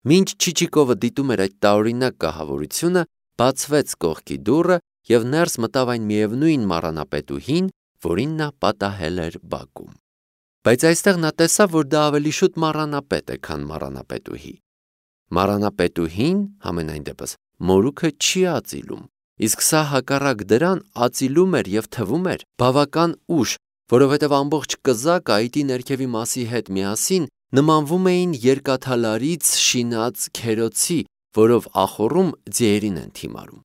Մինչ Չիչիկովը դիտում էր այդ տարօրինակ կահավորությունը, բացվեց կողքի դուռը և ներս մտավ այն միևնույն մառանապետուհին, որին նա պատահել էր բակում։ Բայց այստեղ նա տեսավ, որ դա ավելի շուտ մառանապետ է, քան մառանապետուհի։ Մառանապետուհին, համենայն դեպս, մորուքը չի ածիլում, իսկ սա հակառակ դրան ածիլում էր և թվում էր բավական ուշ, որովհետև ամբողջ կզակը այտի ներքևի մասի հետ միասին նմանվում էին երկաթալարից շինած քերոցի, որով ախոռում ձիերին են թիմարում։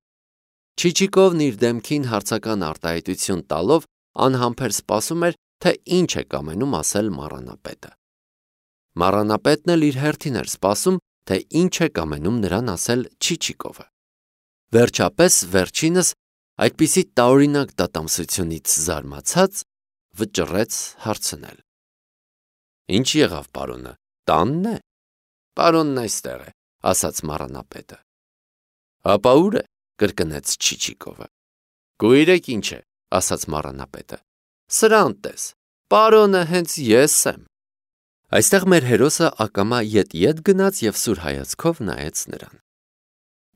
Չիչիկովն իր դեմքին հարցական արտահայտություն տալով անհամբեր սպասում էր, թե ինչ է կամենում ասել մառանապետը։ Մառանապետն էլ իր հերթին էր սպասում, թե ինչ է կամենում նրան ասել Չիչիկովը։ Վերջապես, վերջինս, այդպիսի տարօրինակ դատամսությունից զարմացած, վճռեց հարցնել. Ինչ եղավ, պարոնը, տանն է։ Պարոնն այստեղ է, ասաց մառանապետը։ Ապա ուր է, կրկնեց Չիչիկովը։ Գույրեք ինչ է, ասաց մառանապետը։ Սրան տես, պարոնը հենց ես եմ։ Այստեղ մեր հերոսը ակամա ետ գնաց և սուր հայացքով նայեց նրան։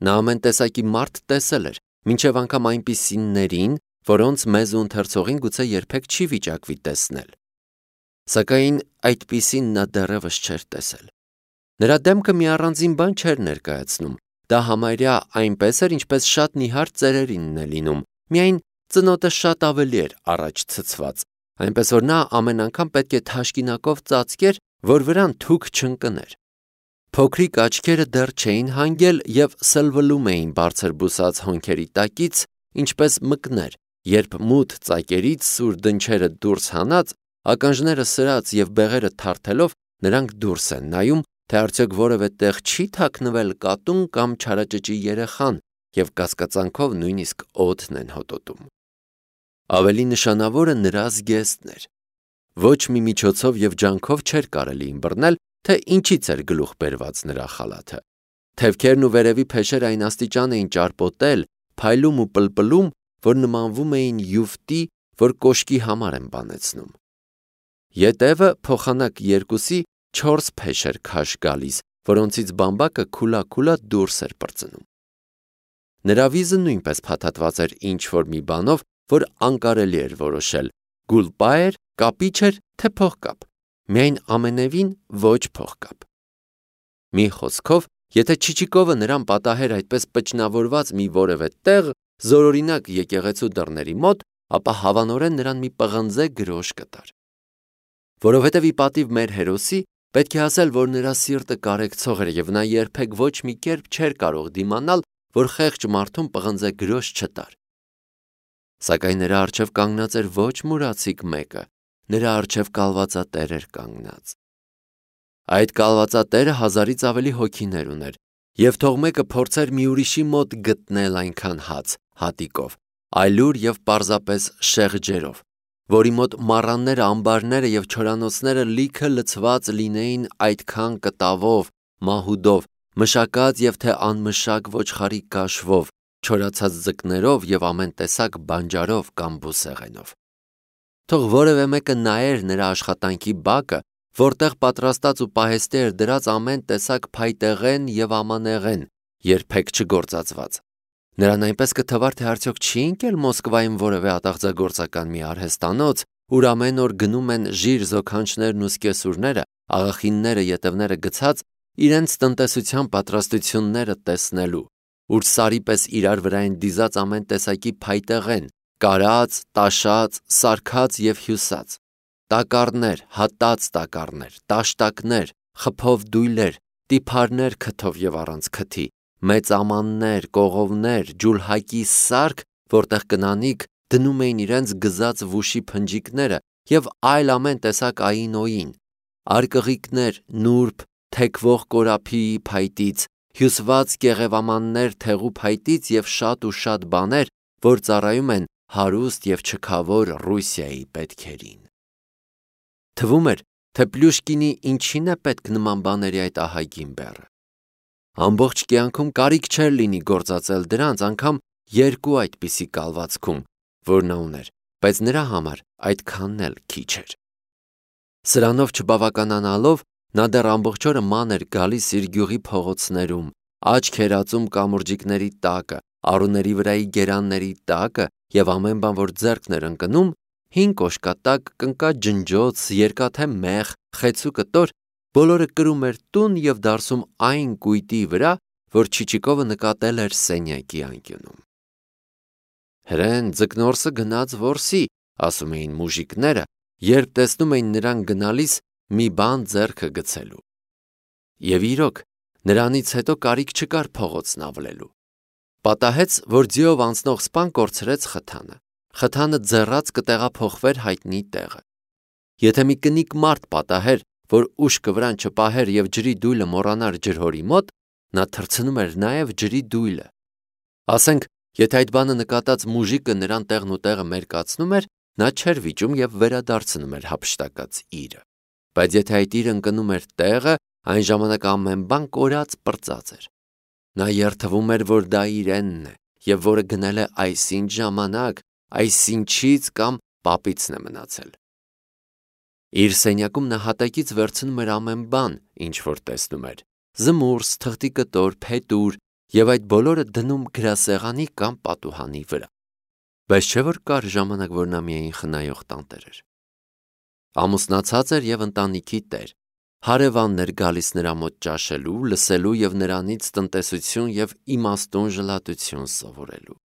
Նա ամեն տեսակի մարդ տեսել էր, մինչև անգամ այնպիսիներին, որոնց մեզ ու ընթերցողին գուցե երբեք չի վիճակվի տեսնել։ Սակայն այդպիսին նա դեռևս չէր տեսել։ Նրա դեմքը մի առանձին բան չէր ներկայացնում, դա համարյա այնպես էր, ինչպես շատ նիհար ծերերինն է լինում, միայն ծնոտը շատ ավելի էր առաջ ցցված, այնպես որ նա ամեն անգամ պետք է թաշկինակով ծածկեր, որ վրան թուք չընկներ։ Փոքրիկ աչքերը դեռ չէին հանգել և սլվլում էին բարձր բուսած հոնքերի տակից, ինչպես մկներ, երբ մութ ծակերից սուր դնչերը դուրս հանած, ականջները սրած և բեղերը թարթելով նրանք դուրս են նայում, թե արդյոք որևէ տեղ չի թաքնվել կատուն կամ չարաճճի երեխան և կասկածանքով նույնիսկ օդն են հոտոտում։ Ավելի նշանավորը նրա զգեստն էր։ Ոչ մի միջոցով և ջանքով չէր կարելի ըմբռնել, թե ինչից էր գլուխ բերված նրա խալաթը։ Թևքերն ու վերևի փեշերը այն աստիճան էին ճարպոտել, փայլում ու պլպլում, որ նմանվում էին յուֆտի, որ կոշկի համար են բանեցնում։ Ետևը փոխանակ երկուսի 4 փեշ էր քաշ գալիս, որոնցից բամբակը քուլա դուրս էր պրծնում։ Նրա վիզը նույնպես փաթաթված էր ինչ-որ մի բանով, որ անկարելի էր որոշել՝ գուլպա էր, կապիչ էր, թե փողկապ, միայն ամենևին ոչ փողկապ։ Մի խոսքով, եթե Չիչիկովը նրան պատահեր այդպես պճնավորված մի որևէ տեղ, զորօրինակ եկեղեցու դռների մոտ, ապա հավանորեն նրան մի պղնձե գրոշ կտար։ Որովհետև ի պատիվ մեր հերոսի, պետք է ասել, որ նրա սիրտը կարեկցող էր և նա երբեք ոչ մի կերպ չէր կարող դիմանալ, որ խեղճ մարդուն պղնձե գրոշ չտար։ Սակայն նրա առջև կանգնած էր ոչ մուրացիկ մեկը, նրա առջև կալվածատեր էր կանգնած։ Այդ կալվածատերը 1000-ից ավելի հոգիներ ուներ, և թող մեկը փորձեր մի ուրիշի մոտ գտնել այնքան հաց, հատիկով, այլուր և պարզապես շեղջերով, որի մոտ մառանները, ամբարները և չորանոցները լիքը լցված լինեին այդքան կտավով, մահուդով, մշակած և թե անմշակ ոչխարի կաշվով, չորացած ձկներով և ամեն տեսակ բանջարով կամ բուսեղենով։ Թող որևէ մեկը նայեր նրա աշխատանքի բակը, որտեղ պատրաստած ու պահեստի էր դրած ամեն տեսակ փայտեղեն և ամանեղեն, երբեք չգործածված։ Նրան այնպես կթվար, թե արդյոք չի ընկել Մոսկվայում որևէ ատաղձագործական մի արհեստանոց, ուր ամեն օր գնում են ժիր զոքանչներն ու սկեսուրները, աղախինները, ետևները գցած, իրենց տնտեսության պատրաստությունները տեսնելու, ուր սարի պես իրար վրա են դիզած ամեն տեսակի փայտեղեն, կարած, տաշած, սարքած և հյուսած, տակառներ, հատած տակառներ, տաշտակներ, խփով դույլեր, տիփարներ քթով և առանց քթի, մեծ ամաններ, կողովներ, ջուլհակի սարք, որտեղ կնանիք դնում էին իրենց գզած վուշի փնջիկները և այլ ամեն տեսակ ային-օյին, արկղիկներ, նուրբ, թեքվող կորափիի փայտից, հյուսված կեղևամաններ թեղու փայտից և շատ բաներ, որ ծառայում են հարուստ և չքավոր Ռուսիայի պետքերին։ Թվում էր, թե Պլյուշկինի ինչին է պետք նման բաների այդ ահագին բեռը։ Ամբողջ կյանքում կարիք չէր լինի գործածել դրանց անգամ 2 այդպիսի կալվածքում, որ նա ուներ, բայց նրա համար այդքանն էլ քիչ էր։ Սրանով չբավականանալով, Նա դեռ ամբողջ օրը ման էր գալիս իր գյուղի փողոցներում, աչք էր ածում կամուրջիկների տակը, առուների վրայի գերանների տակը և ամեն բան, որ ձեռքն էր ընկնում, հին կոշկատակ, կնկա ջնջոց, երկաթե մեղ, խեցու կտոր, բոլորը կրում էր տուն և դարսում այն կույտի վրա, որ Չիչիկովը նկատել էր սենյակի անկյունում։ Հրեն ձկնորսը գնաց որսի, ասում էին մուժիկները, երբ տեսնում էին նրան գնալիս մի բան ձեռքը գցելու։ Եվ իրոք, նրանից հետո կարիք չկար փողոցն ավլելու։ Պատահեց, որ ձիով անցնող սպան կորցրեց խթանը։ Խթանը ձեռած կտեղափոխվեր հայտնի տեղը։ Եթե մի կնիկ մարդ պատահեր, որ ուշքը վրան չպահեր և ջրի դույլը մոռանար ջրհորի մոտ, նա թռցնում էր նաև ջրի դույլը։ Ասենք, եթե այդ բանը նկատած մուժիկը նրան տեղն ու տեղը մերկացնում էր, նա չէր վիճում և վերադարձնում էր հափշտակած իրը։ Բայց եթե այդ իրը ընկնում էր տեղը, այն ժամանակ ամեն բան կորած պրծած էր։ Նա երդվում էր, որ դա իրենն է, և որը գնել է այսինչ ժամանակ, այսինչից կամ պապիցն է մնացել։ Իր սենյակում նա հատակից վերցնում էր ամեն բան, ինչ որ տեսնում էր՝ զմուրս, թղթի կտոր, փետուր, և այդ բոլորը դնում գրասեղանի կամ պատուհանի վրա։ Բայց չէ՞ որ կար ժամանակ, որ նա միայն խնայող տանտեր էր։ Ամուսնացած էր և ընտանիքի տեր։ Հարևանն էր գալիս նրա մոտ ճաշելու, լսելու և նրանից տնտեսություն և իմաստուն ժլատություն սովորելու։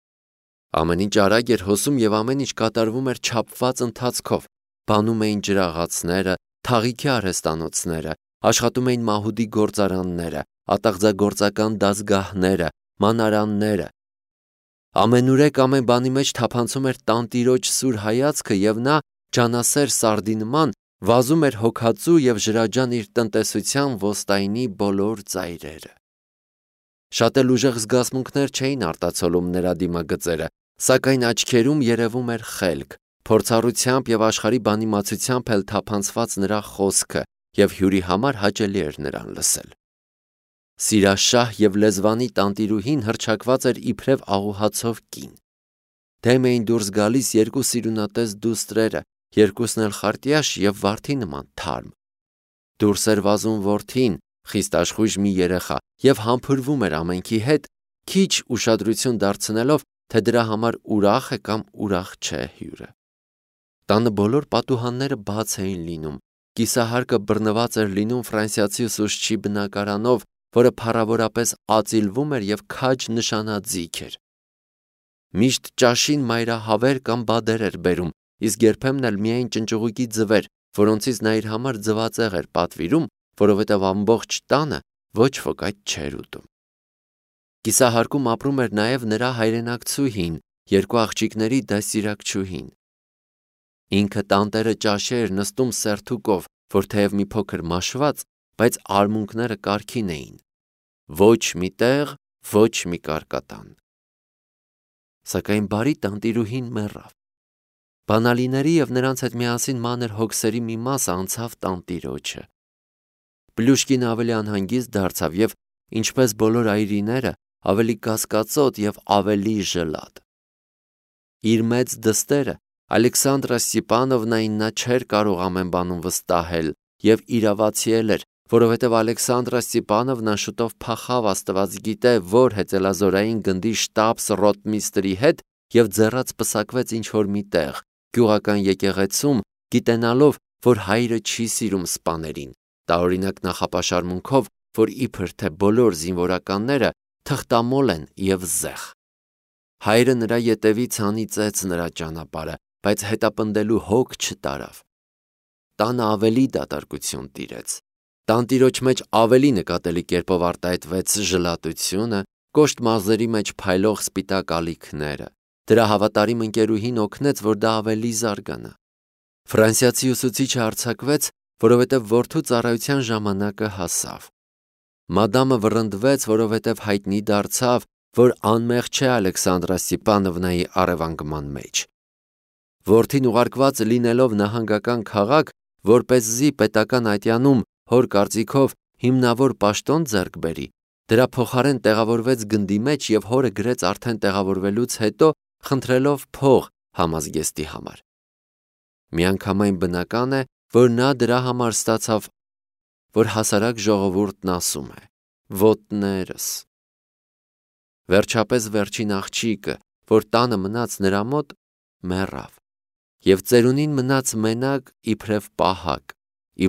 Ամեն ինչ արագ էր հոսում և ամեն ինչ կատարվում էր չափված ընթացքով։ Բանում էին ջրաղացները, թաղիքի արհեստանոցները, աշխատում էին մահուդի գործարանները, ատաղձագործական դասգահները, մանարանները։ Ամենուրեք ամեն բանի մեջ թափանցում էր տանտիրոջ սուր հայացքը և նա, ջանասեր սարդի նման, վազում էր հոգածու և ջրաջան իր տնտեսության ոստայնի բոլոր ծայրերը։ Շատ էլ ուժեղ զգացմունքներ չէին արտացոլում նրա դիմագծերը, սակայն աչքերում երևում էր խելք, փորձառությամբ և աշխարհի բանիմացությամբ էլ թափանցված նրա խոսքը, և հյուրի համար հաճելի էր նրան լսել։ Սիրաշահ և լեզվանի տանտիրուհին հռչակված էր իբրև աղուհացով կին։ Դեմ էին դուրս գալիս երկու սիրունատես դուստրերը, երկուսն էլ խարտյաշ և վարդի նման թարմ։ Դուրս էր վազում որդին, խիստ աշխույժ մի երեխա, և համբուրվում էր ամենքի հետ, քիչ ուշադրություն դարձնելով, թե դրա համար ուրախ է կամ ուրախ չէ հյուրը։ Տանը բոլոր պատուհանները բաց էին լինում, կիսահարկը բռնված էր լինում ֆրանսիացի ուսուցչի բնակարանով, որը փառավորապես ածիլվում էր և քաջ նշանաձիգ էր։ Միշտ ճաշին մայրահավեր կամ բադեր էր բերում, իսկ երբեմն էլ միայն ճնճղուկի ձվեր, որոնցից նա իր համար ձվածեղ էր պատվիրում, որովհետև ամբողջ տանը ոչ ոք այդ չէր ուտում։ Կիսահարկում ապրում էր նաև նրա հայրենակցուհին, երկու աղջիկների դաստիարակչուհին։ Ինքը տանտերը ճաշի էր նստում սերթուկով, որ թեև մի փոքր մաշված, բայց արմունկները կարգին էին։ Ոչ մի տեղ, ոչ մի կարկատան։ Սակայն բարի տանտիրուհին մեռավ։ Բանալիների և նրանց հետ միասին մանր հոգսերի մի մասը անցավ տանտիրոջը։ Պլյուշկին ավելի անհանգիստ դարձավ և, ինչպես բոլոր այրիները, ավելի կասկածոտ և ավելի ժլատ։ Իր մեծ դստերը Ալեքսանդրա Ստեփանովնային նա չէր կարող ամեն բանում վստահել և իրավացիել էր, որովհետև Ալեքսանդրա Ստեփանովնան շուտով փախավ աստված գիտե որ հեծելազորային գնդի շտաբս-ռոտմիստրի հետ և ձեռած պսակվեց ինչ-որ մի տեղ, գյուղական եկեղեցում, գիտենալով, որ հայրը չի սիրում սպաներին, տարօրինակ նախապաշարմունքով, որ իբր թե բոլոր զինվորականները թղթամոլ են և զեղ։ Հայրը նրա ետևից հանիծեց նրա ճանապարհը, բայց հետապնդելու հոգ չտարավ։ Տանը ավելի դատարկություն տիրեց։ Տանտիրոջ մեջ ավելի նկատելի կերպով արտահայտվեց ժլատությունը, կոշտ մազերի մեջ փայլող սպիտակ ալիքները։ Դրա հավատարիմ ընկերուհին օգնեց, որ դա ավելի զարգանա։ Ֆրանսիացի ուսուցիչը արձակվեց, որովհետև որդու ծառայության ժամանակը հասավ։ Մադամը վռնդվեց, որովհետև հայտնի դարձավ, որ անմեղ չէ Ալեքսանդրա Ստեփանովնայի առևանգման մեջ։ Որդին ուղարկված լինելով նահանգական քաղաք, որպեսզի պետական ատյանում հոր կարծիքով հիմնավոր պաշտոն ձեռք բերի, դրա փոխարեն տեղավորվեց գնդի մեջ և հորը գրեց արդեն տեղավորվելուց հետո, խնդրելով փող համազգեստի համար։ Միանգամայն բնական է, որ նա դրա համար ստացավ որ հասարակ ժողովուրդն ասում է. «Ոտներս»։ Վերջապես վերջին աղջիկը, որ տանը մնաց նրա մոտ, մեռավ, և ծերունին մնաց մենակ իբրև պահակ,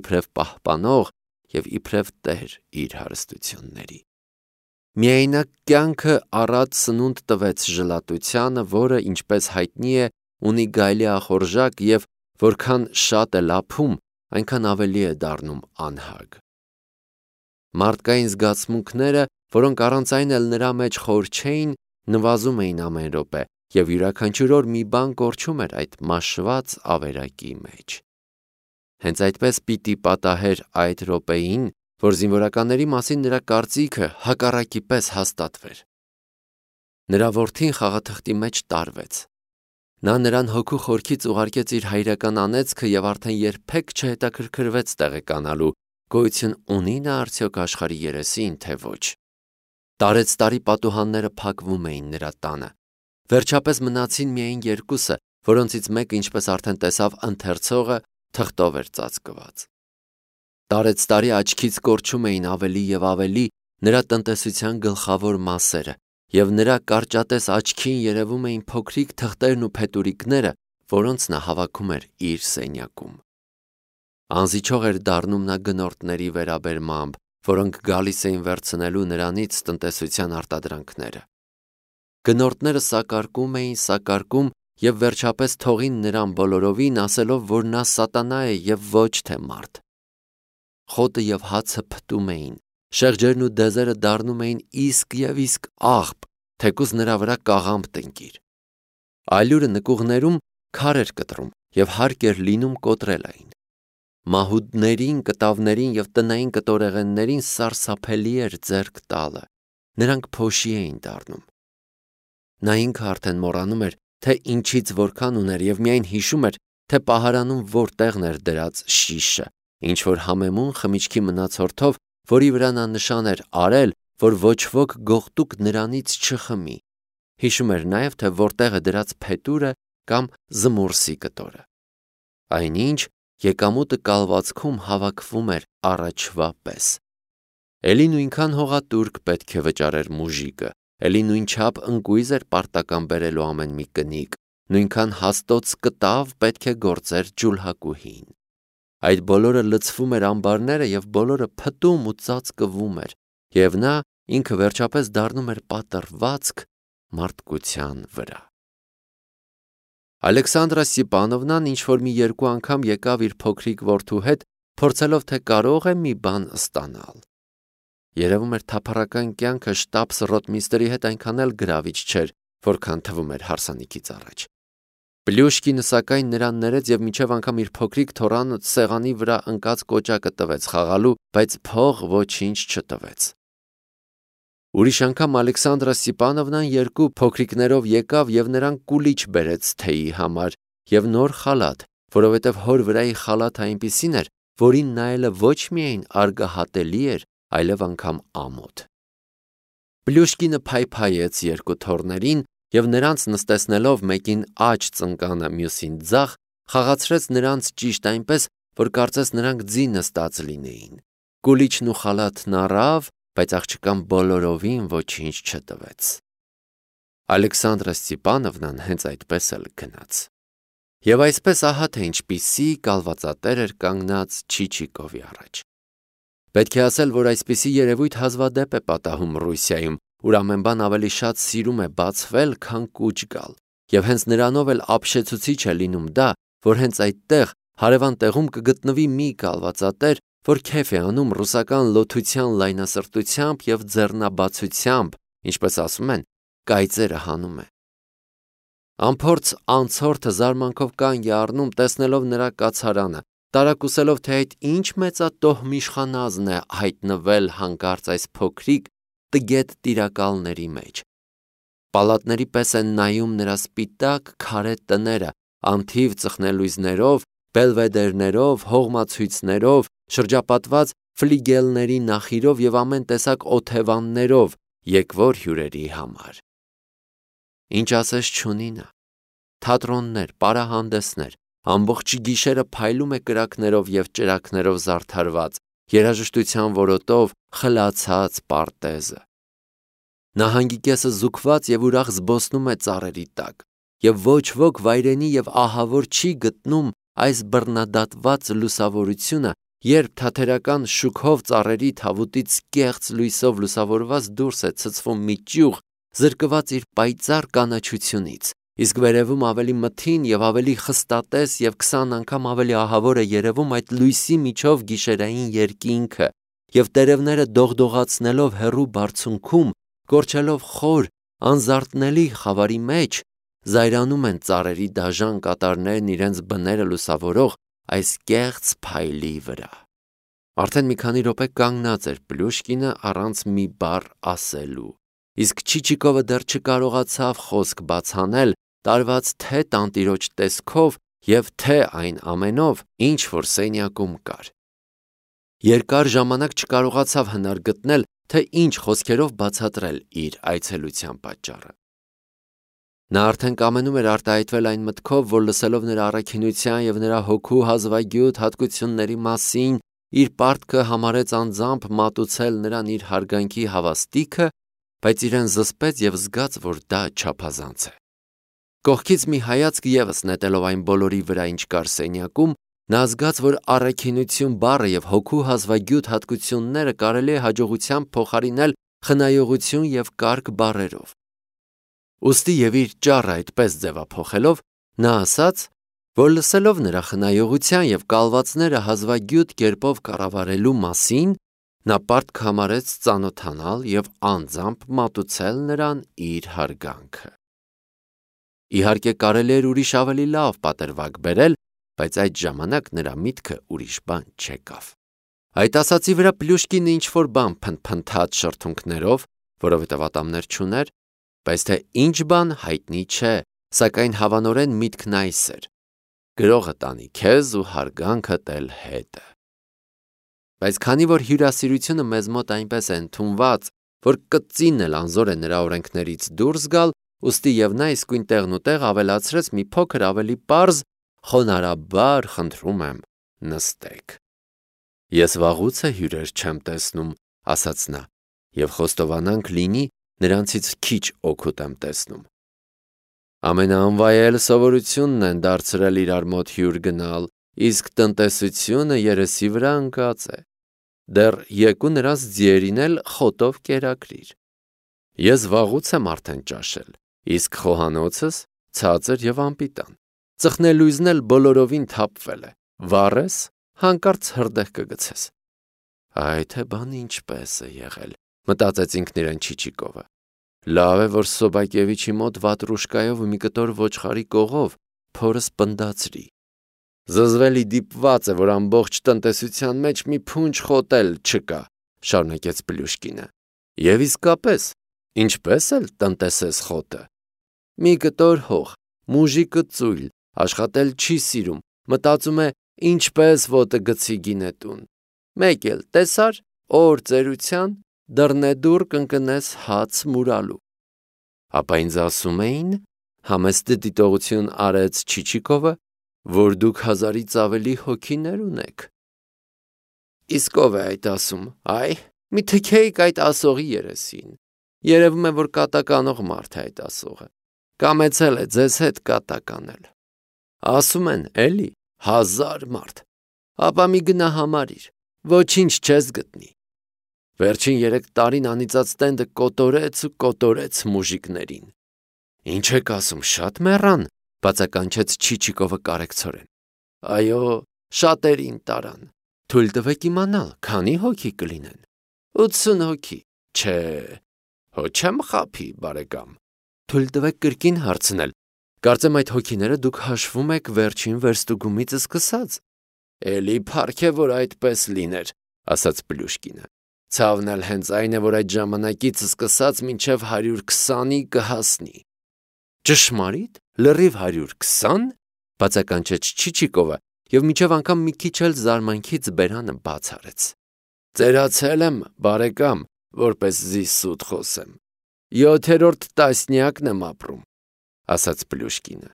իբրև պահպանող և իբրև տեր իր հարստությունների։ Միայնակ կյանքը առատ սնունդ տվեց ժլատությանը, որը, ինչպես հայտնի է, ունի գայլիախորժակ և որքան շատ է լափում, այնքան ավելի է դառնում անհագ։ Մարդկային զգացմունքները, որոնք առանց այն էլ նրա մեջ խոր չէին, նվազում էին ամեն րոպե, և յուրաքանչյուր օր մի բան կորչում էր այդ մաշված ավերակի մեջ։ Հենց այդպես պիտի պատահեր այդ րոպեին, որ զինվորականների մասին նրա կարծիքը հակառակի պես հաստատվեր։ Նրա որդին խաղաթղթի մեջ տարվեց։ Նա նրան հոգու խորքից ուղարկեց իր հայրական անեծքը և արդեն երբեք չհետաքրքրվեց տեղեկանալու, գոյություն ունի նա արդյոք աշխարհի երեսին, թե ոչ։ Տարեցտարի պատուհանները փակվում էին նրա տանը։ Վերջապես մնացին միայն երկուսը, որոնցից մեկը, ինչպես արդեն տեսավ ընթերցողը, թղթով էր ծածկված։ Տարեցտարի աչքից կորչում էին ավելի և ավելի նրա տնտեսության գլխավոր մասերը, և նրա կարճատես աչքին երևում էին փոքրիկ թղթերն ու փետուրիկները, որոնց նա հավաքում էր իր սենյակում։ Անզիջող էր դառնում նա գնորդների վերաբերմամբ, որոնք գալիս էին վերցնելու նրանից տնտեսության արտադրանքները։ Գնորդները սակարկում և վերջապես թողին նրան բոլորովին, ասելով, որ նա սատանա է և ոչ թե մարդ։ Խոտը և հացը փտում էին, շեղջերն ու դեզերը դառնում էին իսկ և իսկ աղբ, թեկուզ նրա վրա կաղամբ տնկիր։ Այլուրը նկուղներում քար էր կտրում և հարկ էր լինում կոտրել այն։ Մահուդներին, կտավներին և տնային կտորեղեններին սարսափելի էր ձեռք տալը, նրանք փոշի էին դառնում։ Նա ինքը արդեն մոռանում էր, թե ինչից որքան ուներ և միայն հիշում էր, թե պահարանում որտեղն էր դրած շիշը, ինչ-որ համեմուն խմիչքի մնացորդով, որի վրա նա նշան էր արել, որ ոչ ոք գողտուկ նրանից չխմի։ Հիշում էր նաև, թե որտեղ է դրած փետուրը կամ զմուրսի կտորը։ Այնինչ եկամուտը կալվածքում հավաքվում էր առաջվա պես։ Էլի նույնքան հողատուրք պետք է վճարեր մուժիկը, էլի նույնչափ ընկույզ էր պարտական բերելու ամեն մի կնիկ, նույնքան հաստոց կտավ պետք է գործեր ջուլհակուհին։ Այդ բոլորը լցվում էր ամբարները և բոլորը փտում ու ծածկվում էր, և նա ինքը վերջապես դառնում էր պատրվացք մարդկության վրա։ Ալեքսանդրա Ստիպանովնան ինչ-որ մի երկու անգամ եկավ իր փոքրիկ որդու հետ, փորձելով, թե կարող է մի բան ստանալ։ Երևում էր թափառական կյանքը շտաբս-ռոտմիստրի հետ այնքան էլ գրավիչ չէր, որքան թվում էր հարսանիքից առաջ։ Պլյուշկինը սակայն նրան ներեց և մինչև անգամ իր փոքրիկ թոռանը սեղանի վրա ընկած կոճակը տվեց խաղալու, բայց փող ոչինչ չտվեց։ Ուրիշ անգամ Ալեքսանդրա Ստիպանովնան երկու փոքրիկներով եկավ և նրան կուլիչ բերեց թեյի համար և նոր խալաթ, որովհետև հոր վրայի խալաթը այնպիսին էր, որին նայելը ոչ միայն արգահատելի էր, այլև անգամ ամոթ։ Պլյուշկինը փայփայեց երկու թոռներին և նրանց նստեցնելով մեկին աջ ծնկանը, մյուսին ձախ, խաղացրեց նրանց ճիշտ այնպես, որ կարծես նրանք ձի նստած լինեին։ Կուլիչն ու խալաթն առավ, բայց աղջկան բոլորովին ոչինչ չտվեց։ Ալեքսանդրա Ստիպանովնան հենց այդպես էլ գնաց։ Եվ այսպես ահա թե ինչպիսի կալվածատեր էր կանգնած Չիչիկովի առաջ։ Պետք է ասել, որ այսպիսի երևույթ հազվադեպ է պատահում Ռուսիայում, ուր ամեն բան ավելի շատ սիրում է բացվել, քան կուչ գալ, և հենց նրանով էլ ապշեցուցիչ է լինում դա, որ հենց այդտեղ հարևան տեղում կգտնվի մի կալվածատեր, որ քեֆ է անում ռուսական լոթության լայնասրտությամբ և ձեռնաբացությամբ, ինչպես ասում են, կայծերը հանում է։ Անփորձ անցորդը զարմանքով կանգ է առնում, տեսնելով նրա կացարանը, տարակուսելով, թե այդ ինչ մեծատոհ իշխանազն է հայտնվել հանկարծ այս փոքրիկ տգետ տիրակալների մեջ։ Պալատների պես են նայում նրա սպիտակ քարե տները, անթիվ ծխնելույզներով, բելվեդերներով, հողմացույցներով, շրջապատված ֆլիգելների նախիրով և ամեն տեսակ օթևաններով, եկվոր հյուրերի համար։ Ինչ ասես չունի նա։ Թատրոններ, պարահանդեսներ, ամբողջ գիշերը փայլում է կրակներով և ճրագներով զարդարված, երաժշտության որոտով խլացած պարտեզը։ Նահանգի կեսը զուգված և ուրախ զբոսնում է ծառերի տակ, և ոչ ոք վայրենի և ահավոր չի գտնում այս բռնադատված լուսավորությունը, երբ թաթերական շուքով ծառերի թավուտից կեղծ լույսով լուսավորված դուրս է ցցվում մի ճյուղ, զրկված իր պայծառ կանաչությունից, իսկ վերևում ավելի մթին և ավելի խստատես և 20 անգամ ավելի ահավոր է երևում այդ լույսի միջով գիշերային երկինքը, և տերևները դողդողացնելով հեռու բարձունքում, կորչելով խոր, անզարթնելի խավարի մեջ, զայրանում են ծառերի դաժան կատարներն իրենց բները լուսավորող այս կեղծ փայլի վրա։ Արդեն մի քանի րոպե կանգնած էր Պլյուշկինը առանց մի բառ ասելու, իսկ Չիչիկովը դեռ չկարողացավ խոսք բաց անել տարված թե տանտիրոջ տեսքով և թե այն ամենով, ինչ որ սենյակում կար։ Երկար ժամանակ չկարողացավ հնար գտնել, թե ինչ խոսքերով բացատրել իր այցելության պատճառը։ Նա արդեն կամենում էր արտահայտվել այն մտքով, որ լսելով նրա առաքինության և նրա հոգու հազվագյուտ հատկությունների մասին, իր պարտքը համարեց անձամբ մատուցել նրան իր հարգանքի հավաստիքը, բայց իրեն զսպեց և զգաց, որ դա չափազանց է։ Կողքից մի հայացք ևս նետելով այն բոլորի վրա, ինչ կար սենյակում, նա զգաց, որ առաքինություն բառը և հոգու հազվագյուտ հատկությունները կարելի է հաջողությամբ փոխարինել խնայողություն և կարգ բառերով։ Ուստի և իր ճառը այդպես ձևափոխելով, նա ասաց, որ լսելով նրա խնայողության և կալվածները հազվագյուտ կերպով կառավարելու մասին, նա պարտք համարեց ծանոթանալ և անձամբ մատուցել նրան իր հարգանքը։ Իհարկե կարելի էր ուրիշ ավելի լավ պատրվակ բերել, բայց այդ ժամանակ նրա միտքը ուրիշ բան չեկավ։ Այդ ասացի վրա Պլյուշկինը ինչ-որ բան փնթփնթաց շրթունքներով, որովհետև ատամներ չուներ, բայց թե ինչ բան հայտնի չէ, սակայն հավանորեն միտքն այս էր. գրողը տանի քեզ ու հարգանքդ էլ հետը։ Բայց քանի որ հյուրասիրությունը մեզ մոտ այնպես է ընդունված, որ կծինն էլ անզոր է նրա օրենքներից դուրս գալ, ուստի և նա իսկույն տեղն ու տեղ ավելացրեց մի փոքր ավելի պարզ. խոնարհաբար խնդրում եմ, նստեք։ Ես վաղուց է հյուրեր չեմ տեսնում, ասաց նա, և խոստովանանք լինի, նրանցից քիչ օգուտ եմ տեսնում։ Ամենաանվայել սովորությունն են դարձրել իրար մոտ հյուր գնալ, իսկ տնտեսությունը երեսի վրա ընկած է։ Դեռ եկու նրանց ձիերին էլ խոտով կերակրիր։ Ես վաղուց եմ արդեն ճաշել, իսկ խոհանոցս ցածր և անպիտան։ Ծխնելույզն էլ բոլորովին թափվել է, վառես, հանկարծ հրդեհ կգցես։ Այ թե բան ինչպես է եղել, մտածեց ինքն իրեն Չիչիկովը։ Լավ է, որ Սոբակևիչի մոտ վատրուշկայով ու մի կտոր ոչխարի կողով փորս պնդացրի։ Զզվելի դիպված է, որ ամբողջ տնտեսության մեջ մի փունջ խոտ էլ չկա, շարունակեց Պլյուշկինը։ Եվ իսկապես, ինչպես էլ տնտեսես խոտը։ Մի կտոր հող, մուժիկը ծույլ, աշխատել չի սիրում, մտածում է ինչպես ոտը գցի գինետուն։ Մեկ էլ տեսար, օր ծերության դռնեդուռ կընկնես հաց մուրալու։ Ապա ինձ ասում էին, համեստ դիտողություն արեց Չիչիկովը, որ դուք 1000-ից ավելի հոգիներ ունեք։ Իսկ ով է այդ ասում, այ, մի թքեիք այդ ասողի երեսին։ Երևում է, որ կատակ անող մարդ է այդ ասողը։ Կամեցել է ձեզ հետ կատակ անել։ Ասում են, էլի, 1000 մարդ։ Ապա մի գնա համարիր, ոչինչ չես գտնի։ Վերջին 3 տարին անիծած տենդը կոտորեց ու կոտորեց մուժիկներին։ Ինչ եք ասում, շատ մեռան, բացականչեց Չիչիկովը կարեկցորեն։ Այո, շատերին տարան։ Թույլ տվեք իմանալ, քանի հոգի կլինեն։ 80 հոգի։ Չէ, հո չեմ խաբի, բարեկամ։ Թույլ տվեք կրկին հարցնել։ Կարծեմ այդ հոգիները դուք հաշվում եք վերջին վերստուգումից սկսած։ Էլի փառք է, որ այդպես լիներ, ասաց Պլյուշկինը։ Ցավն էլ հենց այն է, որ այդ ժամանակից սկսած մինչև 120-ի կհասնի։ Ճշմարիտ, լրիվ 120, բացականչեց Չիչիկովը և մինչև անգամ մի քիչ էլ զարմանքից բերանը բաց արեց։ Ծերացել եմ, բարեկամ, որպեսզի սուտ խոսեմ։ 7-րդ տասնյակն եմ ապրում, ասաց Պլյուշկինը։